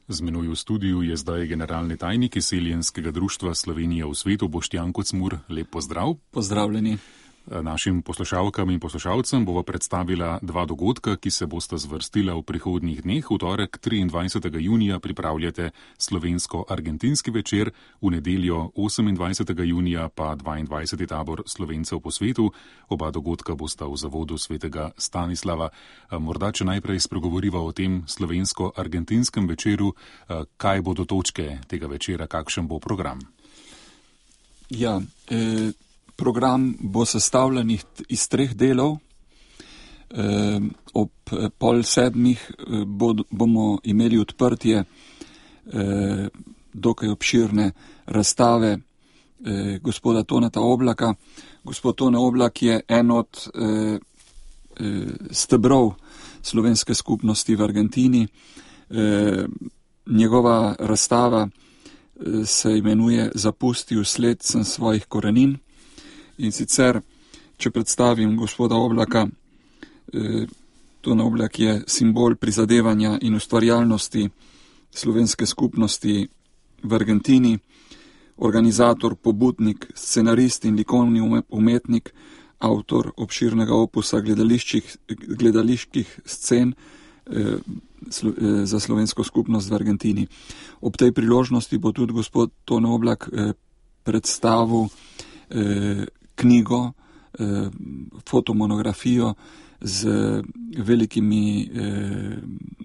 Z menoj v studiu je zdaj generalni tajnik Izseljenskega društva Slovenija v svetu Boštjan Kocmur. Lep pozdrav. Pozdravljeni. Našim poslušalkam in poslušalcem bova predstavila dva dogodka, ki se bosta zvrstila v prihodnjih dneh. V torek 23. junija pripravljate slovensko-argentinski večer, v nedeljo 28. junija pa 22. tabor Slovencev po svetu. Oba dogodka bosta v zavodu svetega Stanislava. Morda, če najprej spregovoriva o tem slovensko-argentinskem večeru, kaj bodo točke tega večera, kakšen bo program? Program bo sestavljen iz 3 delov. Ob 6:30 bomo imeli odprtje dokaj obširne razstave gospoda Toneta Oblaka. Gospod Tone Oblak je en od stebrov slovenske skupnosti v Argentini. Njegova razstava se imenuje Zapustil sled sem svojih korenin. In sicer, če predstavim gospoda Oblaka, Tone Oblak je simbol prizadevanja in ustvarjalnosti slovenske skupnosti v Argentini, organizator, pobudnik, scenarist in likovni umetnik, avtor obširnega opusa gledaliških scen za slovensko skupnost v Argentini. Ob tej priložnosti bo tudi gospod Tone Oblak predstavil knjigo, fotomonografijo z velikimi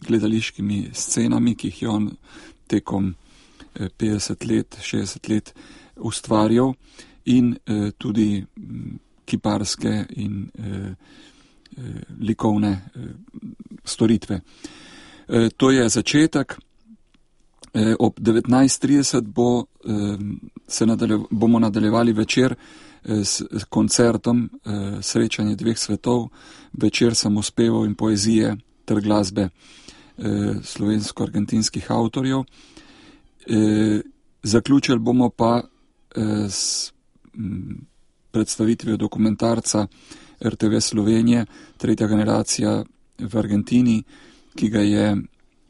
gledališkimi scenami, ki jih je on tekom 50 let, 60 let ustvarjal, in tudi kiparske in likovne storitve. To je začetek. Ob 19:30 bomo nadaljevali večer s koncertom Srečanje dveh svetov, večer samospevov in poezije ter glasbe slovensko-argentinskih avtorjev. Zaključili bomo pa s predstavitvijo dokumentarca RTV Slovenije, tretja generacija v Argentini, ki ga je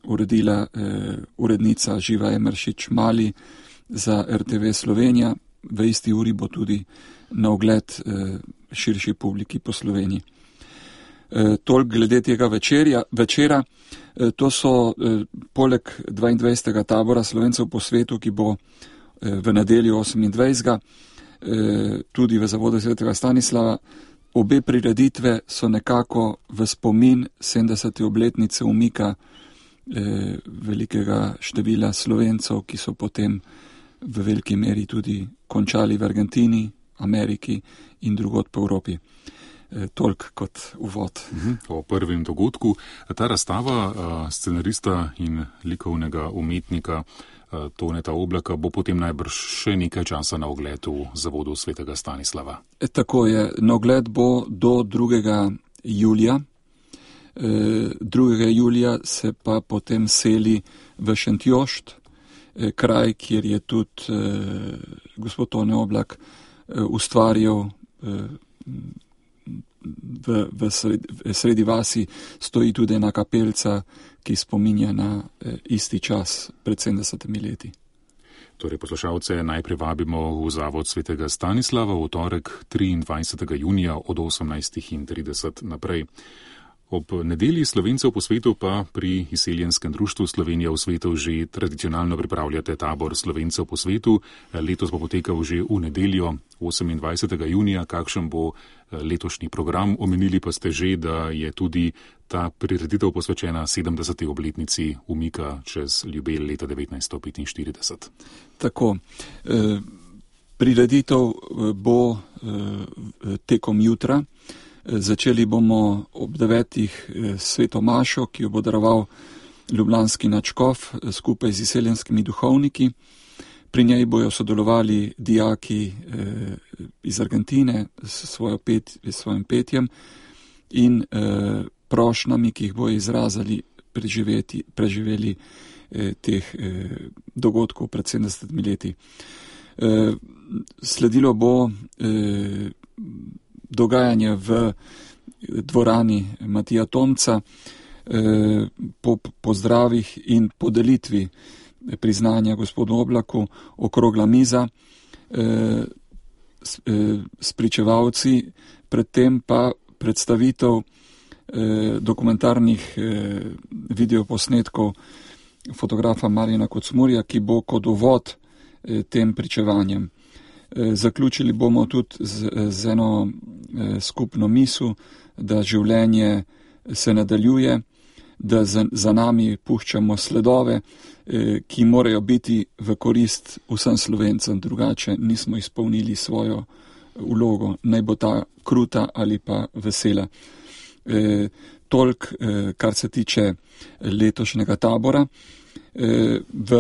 uredila urednica Živa Emeršič Mali za RTV Slovenija. V isti uri bo tudi na ogled širši publiki po Sloveniji. Toliko glede tega večera. To so poleg 22. tabora Slovencev po svetu, ki bo v nedeljo 28. tudi v zavodu svetega Stanislava. Obe prireditve so nekako v spomin 70. obletnice umika velikega števila Slovencev, ki so potem v veliki meri tudi končali v Argentini, Ameriki in drugod po Evropi. Toliko kot uvod. O prvem dogodku. Ta razstava scenarista in likovnega umetnika Toneta Oblaka bo potem najbrž še nekaj časa na ogled v zavodu svetega Stanislava. Tako je. Na ogled bo do 2. julija. 2. julija se pa potem seli v Šentjošt, kraj, kjer je tudi gospod Tone Oblak ustvarjal. V sredi vasi stoji tudi ena kapelca, ki spominja na isti čas pred 70 leti. Torej, poslušalce najprej vabimo v zavod svetega Stanislava v torek 23. junija od 18:30 naprej. Ob nedelji Slovencev po svetu pa pri Izseljenskem društvu Slovenija v svetu že tradicionalno pripravljate tabor Slovencev po svetu. Letos bo potekal že v nedeljo 28. junija. Kakšen bo letošnji program? Omenili pa ste že, da je tudi ta prireditev posvečena 70. obletnici umika čez Ljubelj leta 1945. Tako. Prireditev bo tekom jutra. Začeli bomo ob 9. sveto mašo, ki jo bo daroval ljubljanski nadškof skupaj z izseljenskimi duhovniki. Pri njej bojo sodelovali dijaki iz Argentine s svojim petjem in prošnjami, ki jih bojo izrazili preživeli teh dogodkov pred 70 leti. Sledilo bo dogajanje v dvorani Matija Tomca, po pozdravih in podelitvi priznanja gospodu Oblaku okrogla miza s pričevalci, predtem pa predstavitev dokumentarnih videoposnetkov fotografa Marjana Kocmurja, ki bo kot uvod tem pričevanjem. Zaključili bomo tudi z eno skupno misel, da življenje se nadaljuje, da za nami puščamo sledove, ki morajo biti v korist vsem Slovencem, drugače nismo izpolnili svojo vlogo, naj bo ta kruta ali pa vesela. Toliko, kar se tiče letošnjega tabora. V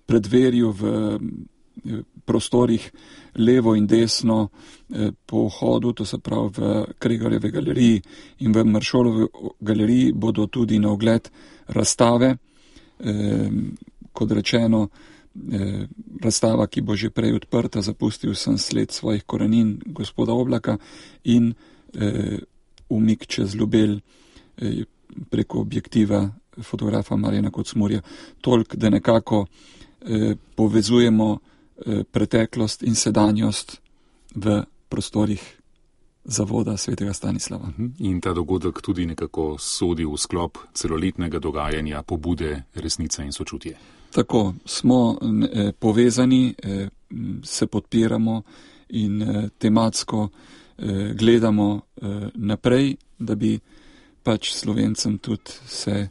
predverju, v prostorih levo in desno po vhodu, to se pravi v Kregarjevi galeriji in v Maršolovi galeriji, bodo tudi na ogled razstave, kot rečeno, razstava, ki bo že prej odprta, Zapustil sem sled svojih korenin gospoda Oblaka, in umik čez Ljubelj preko objektiva fotografa Marjana Kocmurja. Toliko, da nekako povezujemo preteklost in sedanjost v prostorih Zavoda svetega Stanislava. In ta dogodek tudi nekako sodi v sklop celoletnega dogajanja pobude Resnica in sočutje. Tako, smo povezani, se podpiramo in tematsko gledamo naprej, da bi pač Slovencem tudi se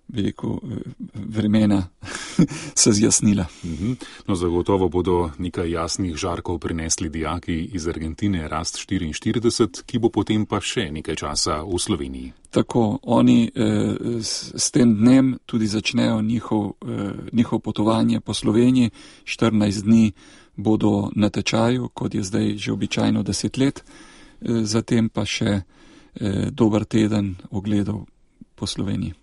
veliko vremena se zjasnila. No, zagotovo bodo nekaj jasnih žarkov prinesli dijaki iz Argentine Rast 44, ki bo potem pa še nekaj časa v Sloveniji. Tako, oni s tem dnem tudi začnejo njihov potovanje po Sloveniji. 14 dni bodo na tečaju, kot je zdaj že običajno 10 let, zatem pa še dober teden ogledov po Sloveniji.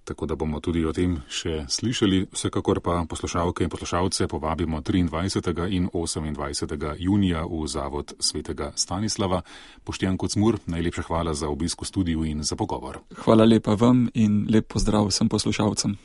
Tako da bomo tudi o tem še slišali. Vsekakor pa poslušalke in poslušalce povabimo 23. in 28. junija v Zavod svetega Stanislava. Boštjan Kocmur, najlepša hvala za obisk v studiu in za pogovor. Hvala lepa vam in lep pozdrav vsem poslušalcem.